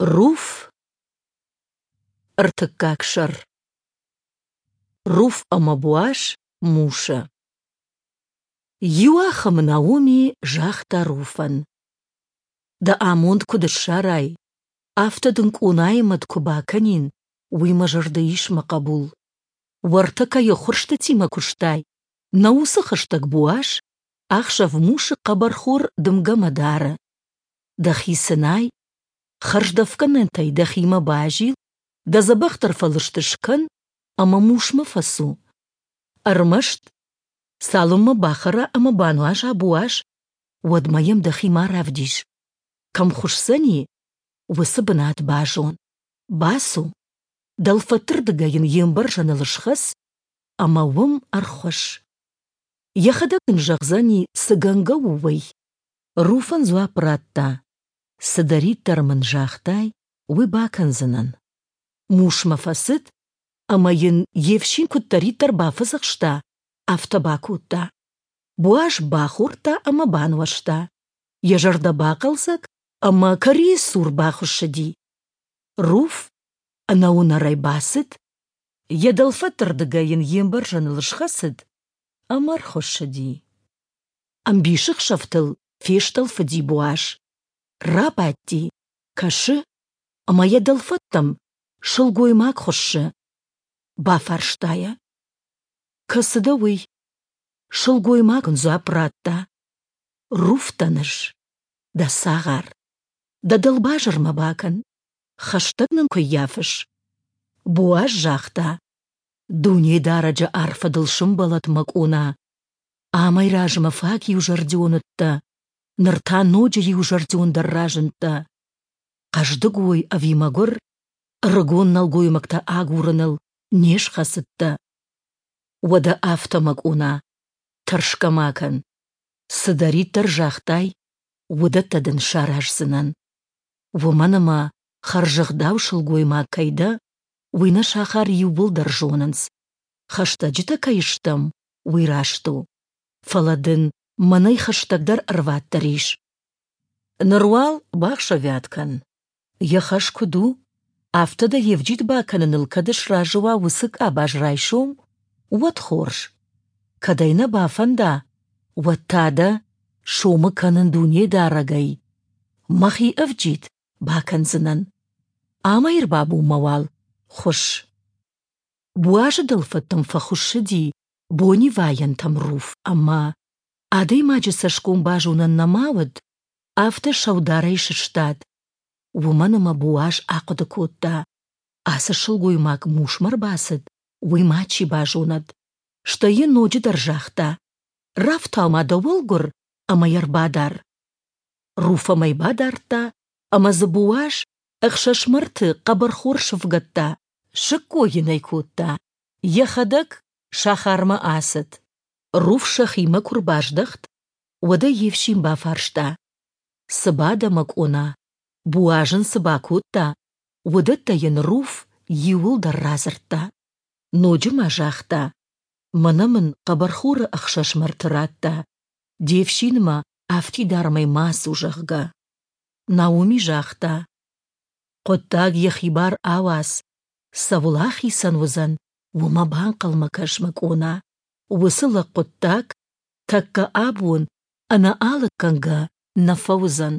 Руф, ӕртыккаг сӕр. Руф ӕмӕ Боаз Мусы. Иуахӕмы Наоми загъта Руфӕн: «Дӕ амонд куыд ссарай, афтӕ дын къонайы мӕт куы бакӕнин, уый мӕ зӕрды ис, мӕ хъӕбул. Уӕртӕ кӕй ӕххуырстытимӕ куыстай, нӕ уыцы хӕстӕг Боаз ахсӕв мусы хъӕбӕрхор дымгӕмӕ дары. Дӕхи цынай, хӕрздӕфгӕнӕнтӕй дӕхимӕ базил, дӕ дзӕбӕхдӕр фӕлыст скӕн ӕмӕ мусмӕ фӕцу. Ӕрмӕст, цалынмӕ бахӕра ӕмӕ бануаза Боаз, уӕдмӕ йӕм дӕхи ма равдис. Кӕм хуысдзӕни, уыцы бынат базон. Бацу, дӕлфӕдтырдыгӕй йын йе мбӕрзӕныл схӕц ӕмӕ уым ӕрхуысс. Йӕхӕдӕг ын зӕгъдзӕни, цы гӕнгӕ у, уый. Руф ын дзуапп радта: «Цыдӕриддӕр мын загътай, уый бакӕндзынӕн». Мусмӕ фӕцыд ӕмӕ йын йе фсин куыддӕриддӕр бафӕдзӕхста, афтӕ бакодта. Боаз бахордта ӕмӕ бануӕзта, йӕ зӕрдӕ бахъӕлдзӕг ӕмӕ кӕрийы цур бахуыссыди. Руф ӕнӕуынӕрӕй бацыд, йӕ дӕлфӕдтырдыгӕй йын йе мбӕрзӕныл схӕцыд ӕмӕ ӕрхуыссыди. Ӕмбисӕхсӕвтыл фестъӕлфыди Боаз. Рабадти, кӕсы, ӕмӕ йӕ дӕлфӕдтӕм сылгоймаг хуыссы. Бафарста йӕ: «Кӕцы дӕ уый?» Сылгоймаг ын дзуапп радта: «Руф дӕн ӕз, дӕ цагъар. Дӕ дӕлбазыр мӕ бакӕн, хӕстӕг нын куы ййафыс». Боаз загъта: «Дунедарӕджы арфӕ дыл сымбӕлӕд, мӕ къона! Амӕй размӕ фаг иузӕрдион уыдтӕ, ныр та ноджы иузӕрдиондӕр разындтӕ. Хъӕздыг уой ӕви мӕгуыр, ӕрыгон нӕлгоймӕгтӕ агурыныл не схӕцыдтӕ. Уӕдӕ афтӕ, мӕ къона, тӕрсгӕ ма кӕн. Цыдӕриддӕр загътай, уыдӕттӕ дын сараздзынӕн. Уымӕн ӕмӕ хӕрзӕгъдау сылгоймаг кӕй дӕ, уый нӕ сахар иууылдӕр зонынц. Хӕстӕджытӕ кӕй стӕм, уый раст у. Фӕлӕ дын мӕнӕй хӕстӕгдӕр ӕрваддӕр ис. Ныр уал бахсӕвиат кӕн. Йӕ хӕс куыд у, афтӕ дӕ йе вджид бакӕныныл кӕд сразы уа уыцы къабаз райсом, уӕд хорз. Кӕд ӕй нӕ бафӕнда, уӕд та дӕ сомы кӕнын Дунедарӕгӕй. Мӕхи ӕвджид бакӕндзынӕн. Амӕй ӕрбабонмӕ уал хуысс. Буазы дӕлфӕдтӕм фӕхуыссыди бонивайӕнтӕм Руф ӕмӕ, адӕймаджы цӕсгом базонӕн нӕма уыд, афтӕ сӕударӕй сыстад. Уымӕн ӕмӕ Боаз ахъуыды кодта: ацы сылгоймаг мусмӕ ӕрбацыд, уый мачи базонӕд. Стӕй йын ноджыдӕр загъта: «Рафтау-ма дӕ уӕлгуыр ӕмӕ йӕ ӕрбадар». Руф ӕм ӕй бадардта, ӕмӕ дзы Боаз ӕхсӕзмӕрты хъӕбӕрхор сӕвгӕдта, сыккой йын ӕй кодта, йӕхӕдӕг сахармӕ ацыд. Руф сӕхимӕ куы рбаздӕхт, уӕд ӕй йе фсин бафарста: «Цы бадӕ, мӕ къона, Боаз ын цы бакодта, уыдӕттӕ йын Руф иууылдӕр радзырдта. Ноджы ма загъта: «Мӕнӕ мын хъӕбӕрхоры ӕхсӕзмӕрты радта, де фсинмӕ афтидармӕй ма ацу, зӕгъгӕ». Наоми загъта: «Хъуыддаг йӕхи бар ауадз, цӕуыл ахицӕн уыдзӕн, уымӕ банхъӕлмӕ кӕс, мӕ къона. Уыцы лӕг хъуыддаг тӕккӕ абон ӕнӕ алыггӕнгӕ нӕ фӕуыдзӕн».